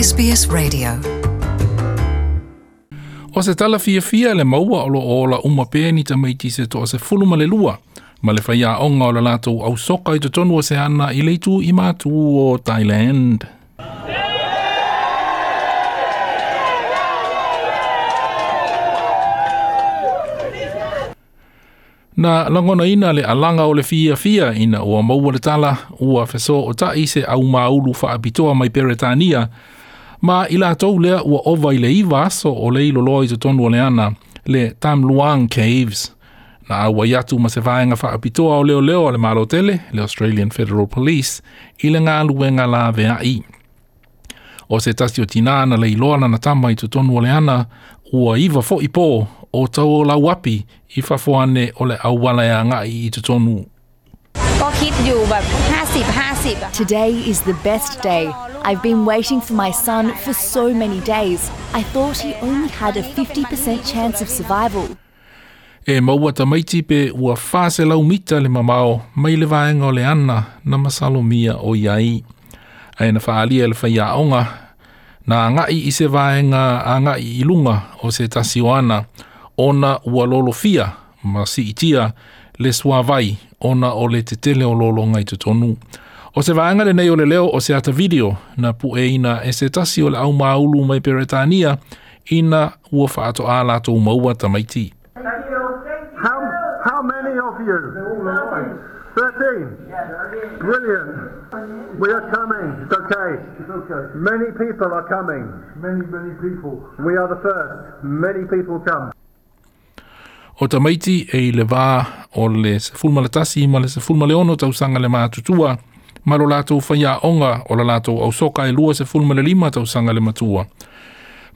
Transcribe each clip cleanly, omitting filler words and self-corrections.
SBS Radio. O se tala fiafia le maua o loo ola uma pea ni tamaiti se 12 ma le faiaoga o le latou ausoka i totonu o se ana i le itu i matu o Thailand. Na lagonaina le alaga o le fiafia ina ua maua le tala ua fesootai se aumaulu faapitoa mai Peretania ma i latou lea ua ova i le 9 aso o le iloloa i totonu o le ana le Tham Luang Caves. Na auai atu ma se vaega faapitoa o leoleo a le Malo tele, le Australian Federal Police, i le galuega laveai. O se tasi o tinā na leiloa lana tama i totonu o le ana, ua 9 foi pō o tau o lauapi i fafo ane o le auala e agai i totonu. ก็คิดอยู่แบบ50-50อะ Today is the best day. I've been waiting for my son for so many days. I thought he only had a 50% chance of survival. E maua tamaiti pe ua 400 mita le mamao mai le vaega o le ana na masalomia o iai. Ae na faaalia e le faiaoga na agai i se vaega agai i luga o se tasi o ana ona ua lolofia ma siitia le suavai ona o le tetele o lologa i totonu. O se vaega lenei o le leo o se ata video na pueina e se tasi o le aumaulu mai Peretania ina ua faatoa latou maua tamaiti. How many of you? 13. Brilliant. We are coming. It's okay. It's okay. Many people are coming. Many, many people. We are the first. Many people come. O tamaiti e i le vā o le 11 ma le 16 tausaga le matutua, ma lo latou faiaoga o la latou ausoka e 25 tausaga le matua.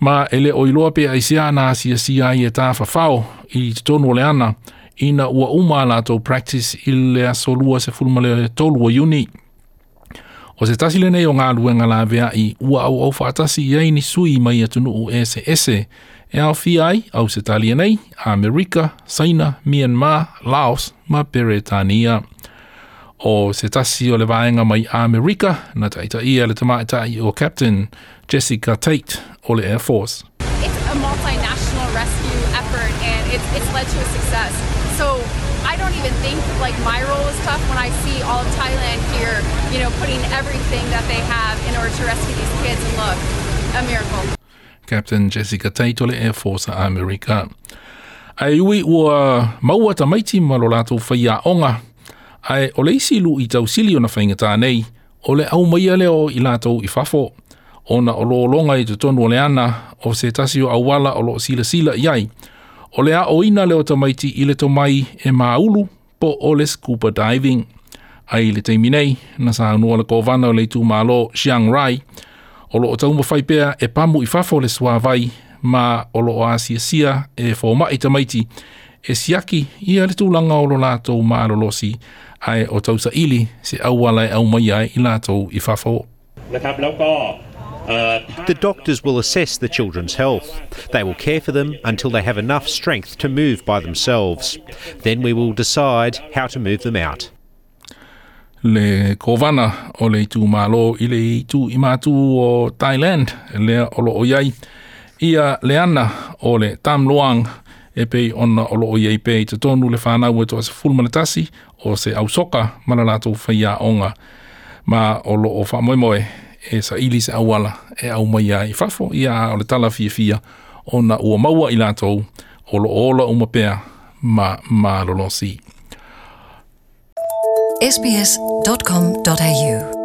Ma e le o iloa pe aisea na asiasia ai e tāwhawhao i totonu o le ana, ina ua uma a latou practice i le aso 23 o Iuni. O se tasi lenei o galuega laveai ua auau faatasi i ai ni sui mai atunuu ese ese e aofia ai Ausetalia nei, Amerika, Saina, Myanmar, Laos ma Peretania. O se tasi o le vaega mai Amerika na taitaia le tamaitai o Captain Jessica Tate o le Air Force. It's a multinational rescue effort and it's led to a success. So I don't even think like my role is tough when I see all of Thailand here, you know, putting everything that they have in order to rescue these kids, and look, a miracle. Captain Jessica Tate o le Air Force a Amerika. Ae ui ua maua tamaiti ma lo latou faiaoga, ae o le isi lu'i tausili ona faigata nei, o le aumaia lea o i latou i fafo, ona o lologa i totonu o le ana o se tasi o auala o loo silasila i ai. O le aoina lea o tamaiti i le tomai e maulu po o le scuba diving. Ae i le taimi nei, na saunoa le kovana o le itumalo Chiang Rai, o loo taumafai pea e pamu i fafo le suavai ma o loo asiasia e fomai tamaiti e siaki ia le tulaga o lo latou malolosi ae o tausaili se auala e aumaia ai i latou i fafo. นะครับแล้วก็ The doctors will assess the children's health. They will care for them until they have enough strength to move by themselves. Then we will decide how to move them out. Le kovana o le itumalo i le itu i matu o Thailand lea o loo iai ia le ana o le Tham Luang e pei ona o loo iai pea i totonu le whanau e 11 o se ausoka ma la latou faiaoga ma o loo faamoemoe e saili se auala e aumaia ai i fafo ia o le tala fiafia ona ua maua i latou o loo ola uma pea ma malolosi. sbs.com.au